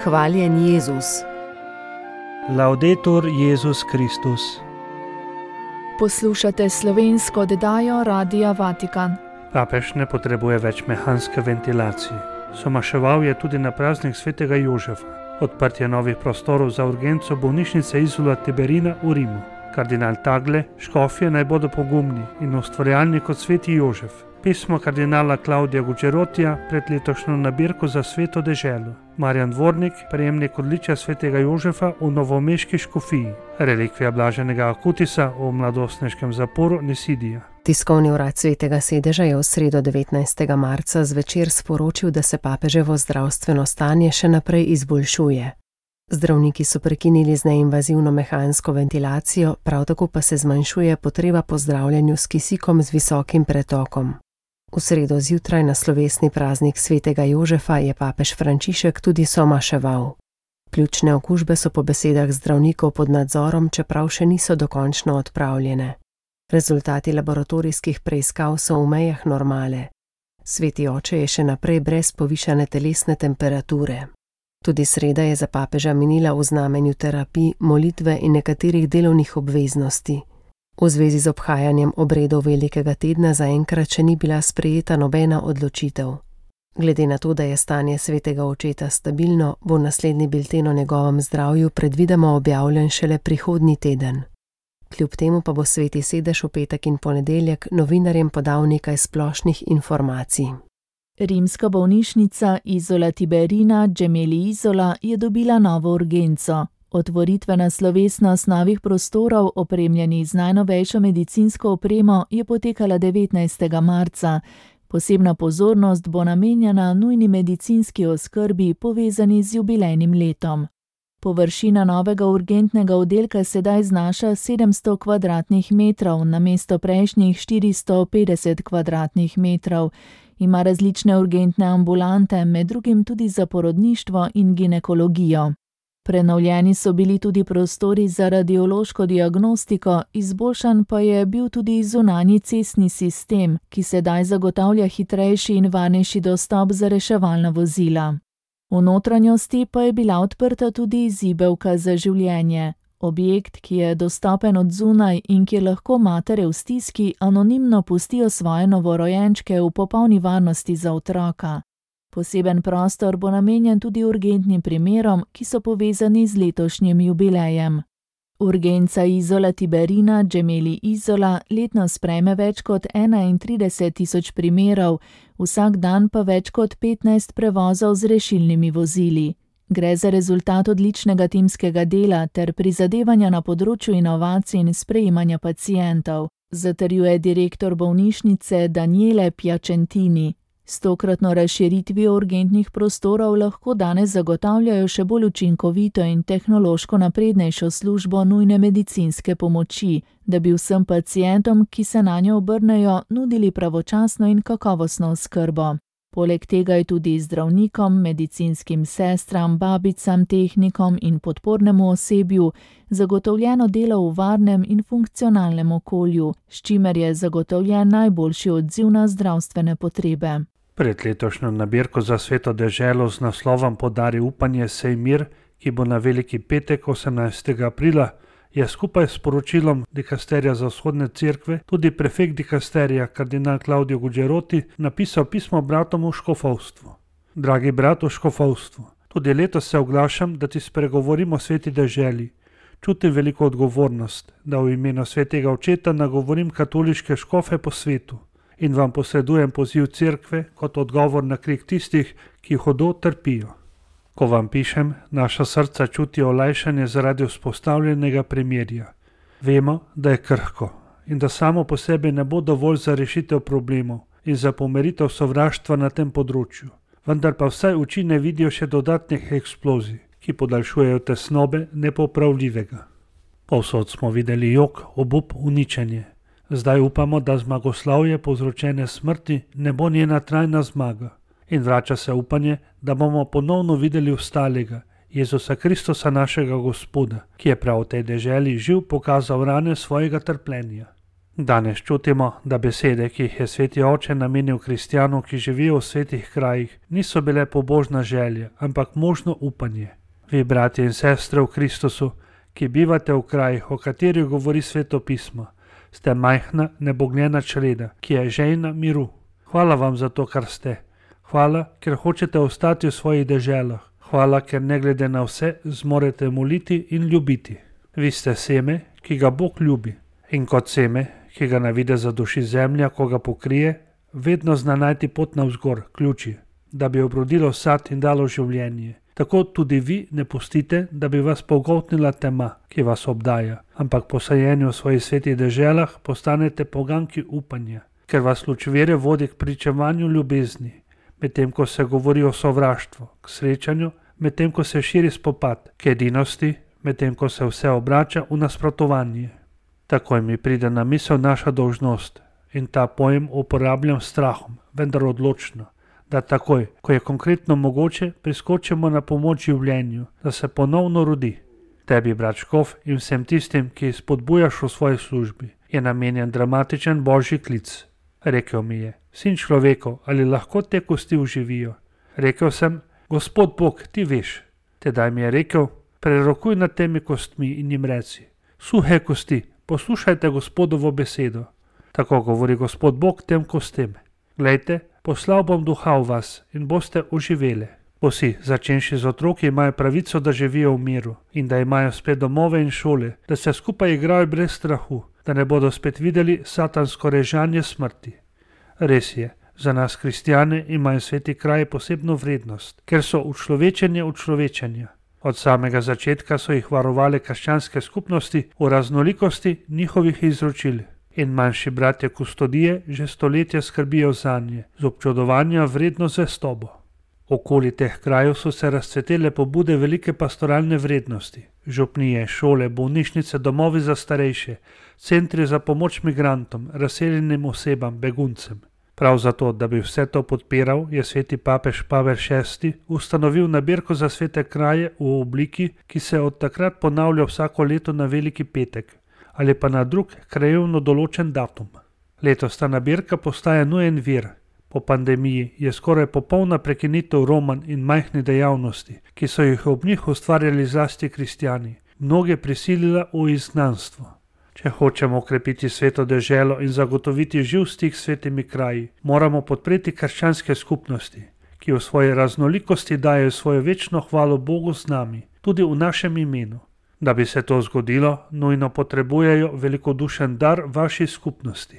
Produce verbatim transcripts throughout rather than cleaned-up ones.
Hvaljen Jezus. Laudetur Jezus Kristus. Poslušate slovensko oddajo Radia Vatikan. Papež ne potrebuje več mehanske ventilacije. Somaševal je tudi na praznik svetega Jožefa. Odprtje novih prostorov za urgenco bolnišnice Isola Tiberina v Rimu. Kardinal Tagle, škofje naj bodo pogumni in ustvarjalni kot sveti Jožef. Pismo kardinala Claudia Gugerotija pred letošnjo nabirko za sveto deželo. Marjan Dvornik, prejemnik odličja svetega Jožefa v novomeški škofiji. Relikvija blaženega Akutisa v mladostniškem zaporu Nisidija. Tiskovni urad svetega sedeža je v sredo devetnajstega marca zvečer sporočil, da se papeževo zdravstveno stanje še naprej izboljšuje. Zdravniki so prekinili z neinvazivno mehansko ventilacijo, prav tako pa se zmanjšuje potreba po zdravljenju s kisikom z visokim pretokom. V sredo zjutraj na slovesni praznik svetega Jožefa je papež Frančišek tudi somaševal. Pljučne okužbe so po besedah zdravnikov pod nadzorom, čeprav še niso dokončno odpravljene. Rezultati laboratorijskih preiskav so v mejah normale. Sveti oče je še naprej brez povišane telesne temperature. Tudi sreda je za papeža minila v znamenju terapij, molitve in nekaterih delovnih obveznosti. V zvezi z obhajanjem obredov velikega tedna zaenkrat še ni bila sprejeta nobena odločitev. Glede na to, da je stanje svetega očeta stabilno, bo naslednji bilten o njegovem zdravju predvidoma objavljen šele prihodnji teden. Kljub temu pa bo sveti sedež v petek in ponedeljek novinarjem podal nekaj splošnih informacij. Rimska bolnišnica Isola Tiberina Gemelli Isola je dobila novo urgenco. Otvoritvena slovesnost novih prostorov, opremljenih z najnovejšo medicinsko opremo, je potekala devetnajstega marca. Posebna pozornost bo namenjena nujni medicinski oskrbi, povezani z jubilejnim letom. Površina novega urgentnega oddelka sedaj znaša sedemsto kvadratnih metrov, namesto prejšnjih štiristo petdeset kvadratnih metrov. Ima različne urgentne ambulante, med drugim tudi za porodništvo in ginekologijo. Prenovljeni so bili tudi prostori za radiološko diagnostiko, izboljšan pa je bil tudi zunanji cestni sistem, ki sedaj zagotavlja hitrejši in varnejši dostop za reševalna vozila. V notranjosti pa je bila odprta tudi zibelka za življenje. Objekt, ki je dostopen od zunaj in kjer lahko matere v stiski anonimno pustijo svoje novorojenčke v popolni varnosti za otroka. Poseben prostor bo namenjen tudi urgentnim primerom, ki so povezani z letošnjim jubilejem. Urgenca Isola Tiberina Gemelli Isola letno sprejme več kot enaintrideset tisoč primerov, vsak dan pa več kot petnajst prevozov z rešilnimi vozili. Gre za rezultat odličnega timskega dela ter prizadevanja na področju inovacij in sprejemanja pacientov, zatrjuje direktor bolnišnice Daniele Piacentini. S tokratno razširitvijo urgentnih prostorov lahko danes zagotavljajo še bolj učinkovito in tehnološko naprednejšo službo nujne medicinske pomoči, da bi vsem pacientom, ki se nanjo obrnejo, nudili pravočasno in kakovostno oskrbo. Poleg tega je tudi zdravnikom, medicinskim sestram, babicam, tehnikom in podpornemu osebju zagotovljeno delo v varnem in funkcionalnem okolju, s čimer je zagotovljen najboljši odziv na zdravstvene potrebe. Pred letošnjo nabirko za sveto deželo z naslovom Podari upanje, sej mir, ki bo na veliki petek osemnajstega aprila, je skupaj s poročilom dikasterija za vzhodne cerkve tudi prefekt dikasterija kardinal Claudio Gugeroti napisal pismo bratom v škofovstvu. Dragi brat v škofovstvu, tudi letos se oglašam, da ti spregovorim o sveti deželi. Čutim veliko odgovornost, da v imenu svetega očeta nagovorim katoliške škofe po svetu in vam posredujem poziv cerkve kot odgovor na krik tistih, ki hudo trpijo. Ko vam pišem, naša srca čutijo olajšanje zaradi vzpostavljenega premirja. Vemo, da je krhko in da samo po sebi ne bo dovolj za rešitev problemov in za pomiritev sovraštva na tem področju, vendar pa vsaj oči ne vidijo še dodatnih eksplozij, ki podaljšujejo tesnobe nepopravljivega. Povsod smo videli jok, obup, uničenje. Zdaj upamo, da zmagoslavje povzročene smrti ne bo njena trajna zmaga. In vrača se upanje, da bomo ponovno videli ostalega, Jezusa Kristusa našega Gospoda, ki je prav v tej deželi živ pokazal rane svojega trpljenja. Danes čutimo, da besede, ki jih je sveti oče namenil kristjanom, ki živijo v svetih krajih, niso bile pobožna želja, ampak možno upanje. Vi, bratje in sestre v Kristusu, ki bivate v krajih, o katerih govori sveto pismo, ste majhna, nebogljena čreda, ki je žejna miru. Hvala vam za to, kar ste. Hvala, ker hočete ostati v svojih deželah. Hvala, ker ne glede na vse zmorete moliti in ljubiti. Vi ste seme, ki ga Bog ljubi. In kot seme, ki ga na videz zaduši zemlja, ko ga pokrije, vedno zna najti pot navzgor, ključi, da bi obrodilo sad in dalo življenje. Tako tudi vi ne pustite, da bi vas pogoltnila tema, ki vas obdaja, ampak po sajenju v svojih svetih deželah postanete poganki upanja, ker vas luč vere vodi k pričevanju ljubezni, medtem ko se govori o sovraštvu, k srečanju, medtem ko se širi spopad, k edinosti, medtem ko se vse obrača v nasprotovanje. Takoj mi pride na misel naša dolžnost in ta pojem uporabljam s strahom, vendar odločno, da takoj, ko je konkretno mogoče, priskočimo na pomoč življenju, da se ponovno rodi. Tebi, brat Škof, in vsem tistim, ki spodbujaš v svoji službi, je namenjen dramatičen božji klic. Rekel mi je: sin človekov, ali lahko te kosti uživijo? Rekel sem: Gospod Bog, ti veš. Tedaj mi je rekel: prerokuj nad temi kostmi in jim reci: suhe kosti, poslušajte Gospodovo besedo. Tako govori Gospod Bog tem kostem: glejte, poslal bom duha v vas in boste oživele. Vsi, začenši z otroki, imajo pravico, da živijo v miru in da imajo spet domove in šole, da se skupaj igrajo brez strahu, da ne bodo spet videli satansko režanje smrti. Res je, za nas kristjane imajo sveti kraji posebno vrednost, ker so učlovečenje učlovečenja. Od samega začetka so jih varovale krščanske skupnosti v raznolikosti njihovih izročil. In manjši bratje kustodije že stoletja skrbijo zanje, z občudovanjem vredno zvestobo. Okoli teh krajev so se razcvetele pobude velike pastoralne vrednosti. Župnije, šole, bolnišnice, domovi za starejše, centri za pomoč migrantom, razseljenim osebam, beguncem. Prav zato, da bi vse to podpiral, je sveti papež Pavel šesti ustanovil nabirko za svete kraje v obliki, ki se od takrat ponavlja vsako leto na Veliki petek ali pa na drug krajevno določen datum. Letos ta nabirka postaja nujen vir. Po pandemiji je skoraj popolna prekinitev romanj in majhnih dejavnosti, ki so jih ob njih ustvarjali zlasti kristjani, mnoge prisilila v izgnanstvo. Če hočemo okrepiti sveto deželo in zagotoviti živ stik s svetimi kraji, moramo podpreti krščanske skupnosti, ki v svoji raznolikosti dajo svojo večno hvalo Bogu z nami, tudi v našem imenu. Da bi se to zgodilo, nujno potrebujejo velikodušen dar vaši skupnosti.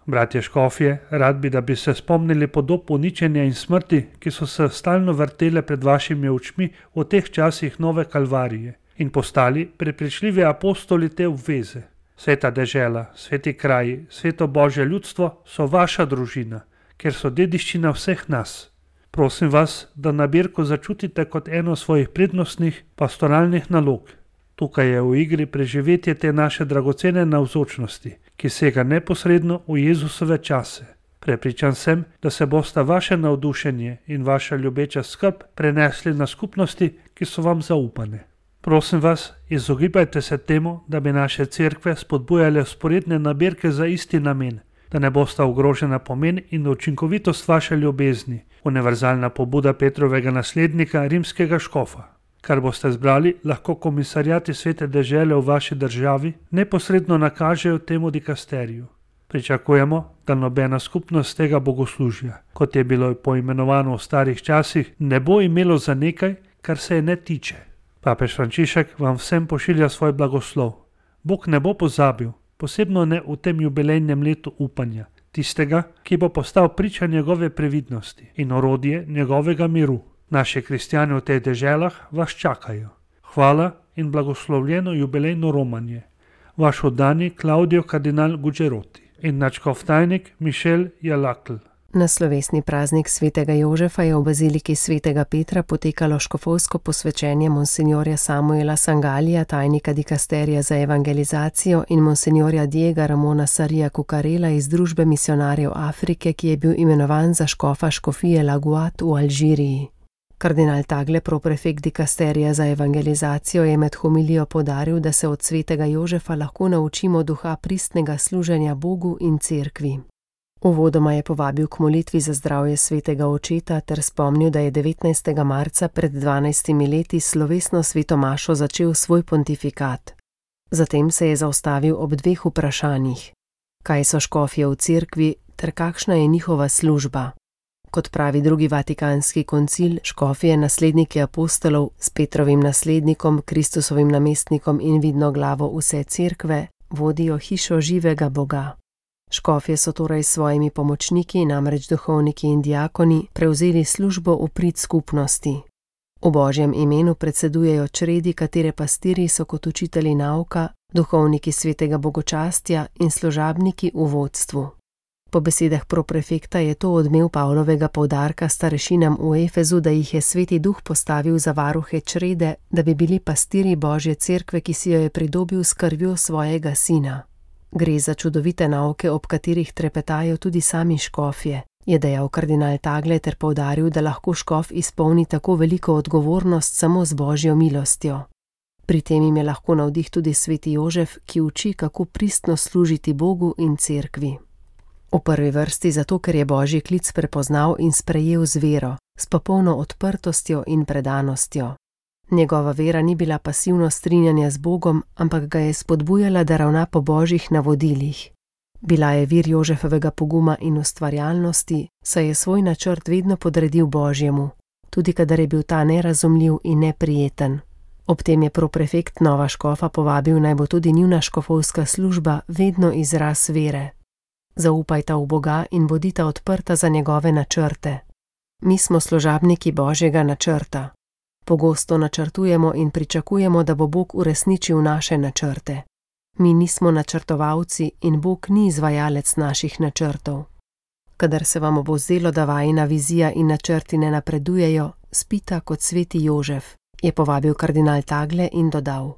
Bratje škofje, rad bi, da bi se spomnili podob uničenja in smrti, ki so se stalno vrtele pred vašimi očmi v teh časih nove kalvarije in postali prepričljivi apostoli te obveze. Sveta dežela, sveti kraji, sveto Božje ljudstvo so vaša družina, ker so dediščina vseh nas. Prosim vas, da nabirko začutite kot eno svojih prednostnih pastoralnih nalog. Tukaj je v igri preživetje te naše dragocene navzočnosti, ki sega neposredno v Jezusove čase. Prepričan sem, da se bosta vaše navdušenje in vaša ljubeča skrb prenesli na skupnosti, ki so vam zaupane. Prosim vas, izogibajte se temu, da bi naše cerkve spodbujale vzporedne nabirke za isti namen, da ne bosta ogrožena pomen in učinkovitost vaše ljubezni, univerzalna pobuda Petrovega naslednika, rimskega škofa. Kar boste zbrali, lahko komisarjati svete dežele v vaši državi neposredno nakažejo temu dikasteriju. Pričakujemo, da nobena skupnost tega bogoslužja, kot je bilo poimenovano v starih časih, ne bo imelo za nekaj, kar se je ne tiče. Papež Frančišek vam vsem pošilja svoj blagoslov. Bog ne bo pozabil, posebno ne v tem jubilejnem letu upanja, tistega, ki bo postal priča njegove previdnosti in orodje njegovega miru. Naši kristjani v teh deželah vas čakajo. Hvala in blagoslovljeno jubilejno romanje. Vaš oddani Claudio kardinal Gugeroti in nadškof tajnik Mišel Jalakl. Na slovesni praznik svetega Jožefa je v baziliki svetega Petra potekalo škofovsko posvečenje monsinjorja Samuela Sangalija, tajnika dikasterija za evangelizacijo, in monsinjorja Diega Ramona Sarija Kukarela iz Družbe misionarjev Afrike, ki je bil imenovan za škofa škofije Laguat v Alžiriji. Kardinal Tagle, proprefekt dikasterija za evangelizacijo, je med homilijo poudaril, da se od svetega Jožefa lahko naučimo duha pristnega služenja Bogu in cerkvi. Uvodoma je povabil k molitvi za zdravje svetega očeta ter spomnil, da je devetnajstega marca pred dvanajstimi leti slovesno sveto mašo začel svoj pontifikat. Zatem se je zaustavil ob dveh vprašanjih: kaj so škofje v cerkvi ter kakšna je njihova služba. Kot pravi drugi vatikanski koncil, škofje, nasledniki apostolov, s Petrovim naslednikom, Kristusovim namestnikom in vidno glavo vse cerkve, vodijo hišo živega Boga. Škofje so torej s svojimi pomočniki, namreč duhovniki in diakoni, prevzeli službo v prid skupnosti. V Božjem imenu predsedujejo čredi, katere pastiri so kot učitelji nauka, duhovniki svetega bogočastja in služabniki v vodstvu. Po besedah proprefekta je to odmev Pavlovega poudarka starešinam v Efezu, da jih je Sveti Duh postavil za varuhe črede, da bi bili pastiri Božje cerkve, ki si jo je pridobil s krvjo svojega sina. Gre za čudovite nauke, ob katerih trepetajo tudi sami škofje, je dejal kardinal Tagle ter poudaril, da lahko škof izpolni tako veliko odgovornost samo z Božjo milostjo. Pri tem jim je lahko navdih tudi sveti Jožef, ki uči, kako pristno služiti Bogu in cerkvi. V prvi vrsti zato, ker je Božji klic prepoznal in sprejel z vero, s popolno odprtostjo in predanostjo. Njegova vera ni bila pasivno strinjanje z Bogom, ampak ga je spodbujala, da ravna po Božjih navodilih. Bila je vir Jožefovega poguma in ustvarjalnosti, saj je svoj načrt vedno podredil Božjemu, tudi kadar je bil ta nerazumljiv in neprijeten. Ob tem je proprefekt nova škofa povabil, naj bo tudi njuna škofovska služba vedno izraz vere. Zaupajta v Boga in bodita odprta za njegove načrte. Mi smo služabniki Božjega načrta. Pogosto načrtujemo in pričakujemo, da bo Bog uresničil naše načrte. Mi nismo načrtovalci in Bog ni izvajalec naših načrtov. Kadar se vam bo zdelo, da vajina vizija in načrti ne napredujejo, spita kot sveti Jožef, je povabil kardinal Tagle in dodal: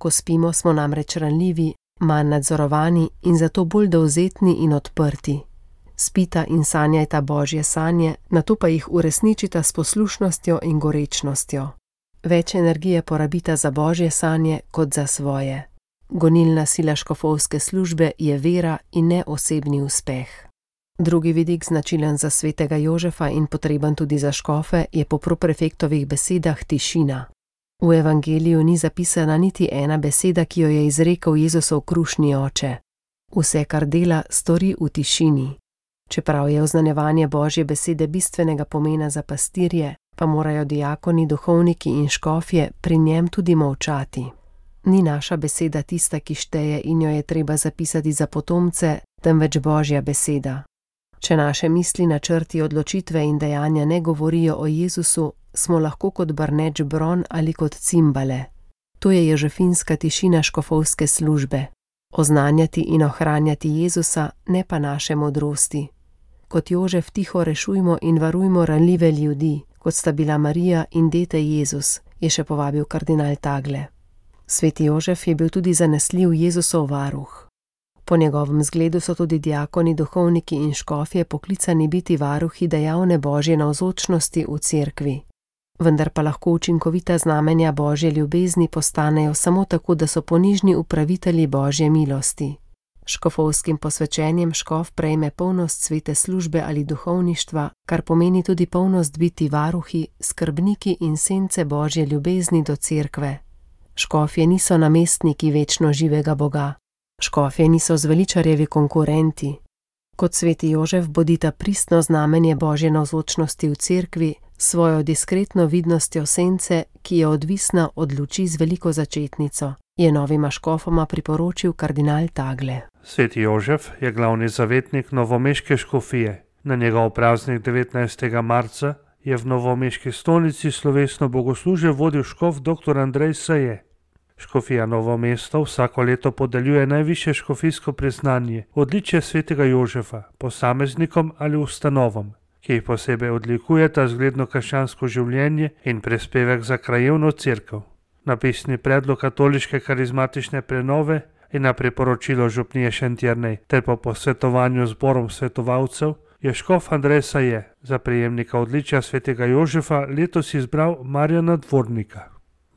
ko spimo, smo namreč ranljivi, manj nadzorovani in zato bolj dovzetni in odprti. Spita in sanjajta Božje sanje, nato pa jih uresničita s poslušnostjo in gorečnostjo. Več energije porabita za Božje sanje kot za svoje. Gonilna sila škofovske službe je vera in ne osebni uspeh. Drugi vidik, značilen za svetega Jožefa in potreben tudi za škofe, je po proprefektovih besedah tišina. V evangeliju ni zapisana niti ena beseda, ki jo je izrekel Jezusov krušni oče. Vse, kar dela, stori v tišini. Čeprav je oznanjevanje Božje besede bistvenega pomena za pastirje, pa morajo diakoni, duhovniki in škofje pri njem tudi molčati. Ni naša beseda tista, ki šteje in jo je treba zapisati za potomce, temveč Božja beseda. Če naše misli, načrti, odločitve in dejanja ne govorijo o Jezusu, smo lahko kot brneč bron ali kot cimbale. To je jožefinska tišina škofovske službe. Oznanjati in ohranjati Jezusa, ne pa naše modrosti. Kot Jožef tiho rešujmo in varujmo ranljive ljudi, kot sta bila Marija in dete Jezus, je še povabil kardinal Tagle. Sveti Jožef je bil tudi zanesljiv Jezusov varuh. Po njegovem zgledu so tudi diakoni, duhovniki in škofje poklicani biti varuhi dejavne Božje navzočnosti v cerkvi. Vendar pa lahko učinkovita znamenja Božje ljubezni postanejo samo tako, da so ponižni upravitelji Božje milosti. Škofovskim posvečenjem škof prejme polnost svete službe ali duhovništva, kar pomeni tudi polnost biti varuhi, skrbniki in sence Božje ljubezni do cerkve. Škofje niso namestniki večno živega Boga. Škofje niso zveličarjevi konkurenti. Kot sveti Jožef bodita pristno znamenje Božje navzočnosti v cerkvi, svojo diskretno vidnostjo sence, ki je odvisna od luči z veliko začetnico, je novima škofoma priporočil kardinal Tagle. Sveti Jožef je glavni zavetnik novomeške škofije. Na njegov praznik devetnajstega marca je v novomeški stolnici slovesno bogoslužje vodil škof dr. Andrej Seje. Škofija Novo mesto vsako leto podeljuje najvišje škofijsko priznanje, odličje svetega Jožefa, posameznikom ali ustanovam, ki jih posebej odlikujeta zgledno krščansko življenje in prispevek za krajevno cerkev. Na pisni predlog katoliške karizmatične prenove in na priporočilo župnije Šentjernej ter po posvetovanju zborom svetovalcev je škof Andrej Saje za prejemnika odličja svetega Jožefa letos izbral Marjana Dvornika.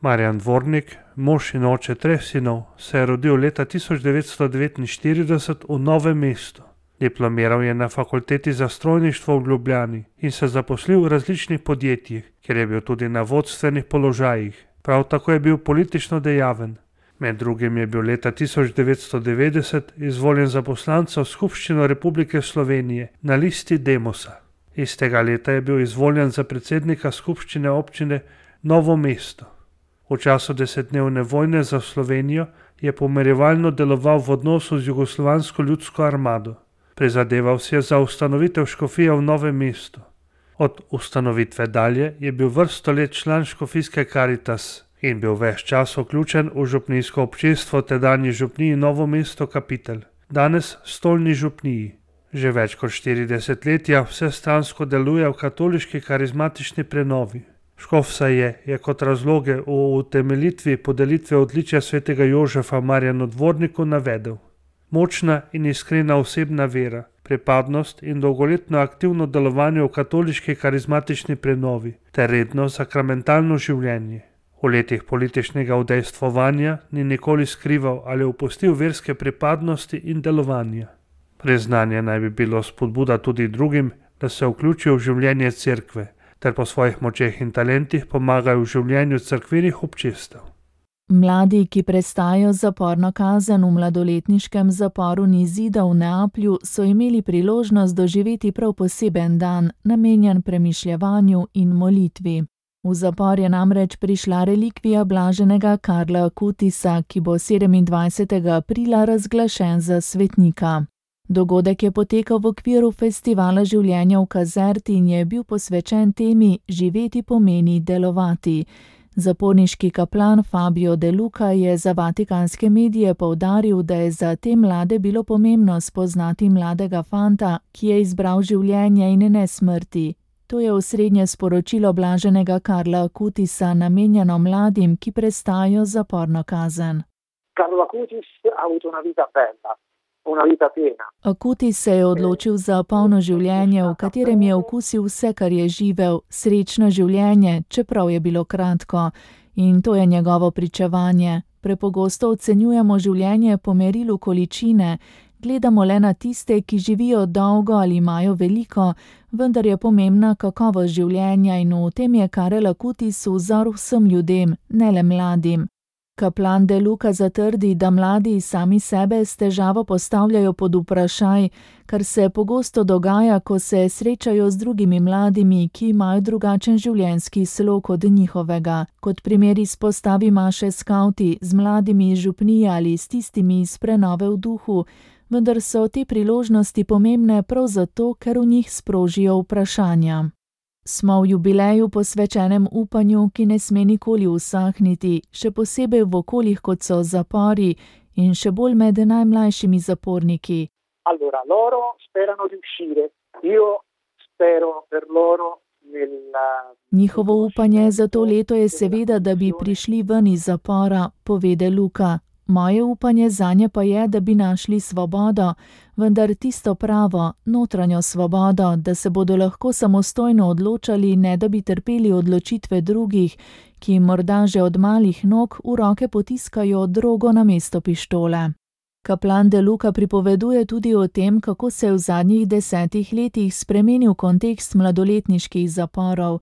Marjan Dvornik, mož in oče treh sinov, se je rodil leta tisoč devetsto devetinštirideset v Novem mestu. Diplomiral je na fakulteti za strojništvo v Ljubljani in se zaposlil v različnih podjetjih, kjer je bil tudi na vodstvenih položajih. Prav tako je bil politično dejaven. Med drugim je bil leta tisoč devetsto devetdeset izvoljen za poslanca v Skupščino Republike Slovenije na listi Demosa. Istega leta je bil izvoljen za predsednika skupščine občine Novo mesto. V času desetdnevne vojne za Slovenijo je pomirjevalno deloval v odnosu z Jugoslovansko ljudsko armado. Prizadeval si je za ustanovitev škofije v Novem mestu. Od ustanovitve dalje je bil vrsto let član škofijske Karitas in bil ves čas vključen v župnijsko občestvo tedanji župniji Novo mesto Kapitel, danes stolni župniji. Že več kot štiri desetletja vsestransko deluje v katoliški karizmatični prenovi. Škof Saje je kot razloge v utemeljitvi podelitve odličja svetega Jožefa Marjanu Dvorniku navedel: močna in iskrena osebna vera, pripadnost in dolgoletno aktivno delovanje v katoliški karizmatični prenovi ter redno sakramentalno življenje. V letih političnega udejstvovanja ni nikoli skrival ali opustil verske pripadnosti in delovanja. Priznanje naj bi bilo spodbuda tudi drugim, da se vključijo v življenje cerkve, ter po svojih močeh in talentih pomagajo v življenju cerkvenih občestev. Mladi, ki prestajajo zaporno kazen v mladoletniškem zaporu Nizida v Neaplju, so imeli priložnost doživeti prav poseben dan, namenjen premišljevanju in molitvi. V zapor je namreč prišla relikvija blaženega Karla Akutisa, ki bo sedemindvajsetega aprila razglašen za svetnika. Dogodek je potekal v okviru festivala življenja v Kazerti in je bil posvečen temi Živeti pomeni delovati. Zaporniški kaplan Fabio De Luca je za vatikanske medije poudaril, da je za te mlade bilo pomembno spoznati mladega fanta, ki je izbral življenje in ne smrti. To je osrednje sporočilo blaženega Karla Akutisa, namenjeno mladim, ki prestajajo zaporno kazen. Carlo Acutis ha avuto una vita bella, una vita piena. Akutis se je odločil za polno življenje, v katerem je okusil vse, kar je živel, srečno življenje, čeprav je bilo kratko. In to je njegovo pričevanje. Prepogosto ocenjujemo življenje po merilu količine, gledamo le na tiste, ki živijo dolgo ali imajo veliko, vendar je pomembna kakovost življenja in v tem je Karel Akutis vzor vsem ljudem, ne le mladim. Kaplan De Luca zatrdi, da mladi sami sebe s težavo postavljajo pod vprašaj, kar se pogosto dogaja, ko se srečajo z drugimi mladimi, ki imajo drugačen življenjski slog od njihovega. Kot primer izpostavi maše skavti z mladimi iz župnije ali s tistimi iz prenove v duhu, vendar so te priložnosti pomembne prav zato, ker v njih sprožijo vprašanja. Smo v jubileju posvečenem upanju, ki ne sme nikoli usahniti, še posebej v okoljih, kot so zapori in še bolj med najmlajšimi zaporniki. Allora, loro sperano di uscire. Io spero per loro nella... Njihovo upanje za to leto je seveda, da bi prišli ven iz zapora, pove De Luca. Moje upanje zanje pa je, da bi našli svobodo, vendar tisto pravo, notranjo svobodo, da se bodo lahko samostojno odločali, ne da bi trpeli odločitve drugih, ki morda že od malih nog v roke potiskajo drogo namesto pištole. Kaplan De Luca pripoveduje tudi o tem, kako se je v zadnjih desetih letih spremenil kontekst mladoletniških zaporov.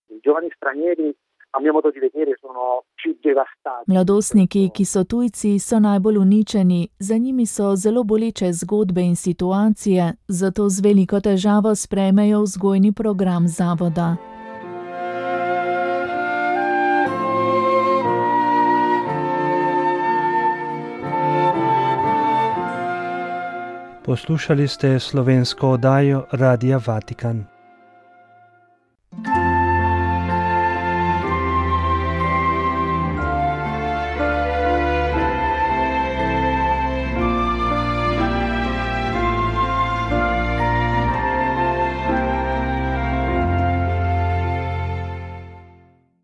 Mladostniki, ki so tujci, so najbolj uničeni, za njimi so zelo boleče zgodbe in situacije, zato z veliko težavo sprejmejo vzgojni program zavoda. Poslušali ste slovensko oddajo Radia Vatikan.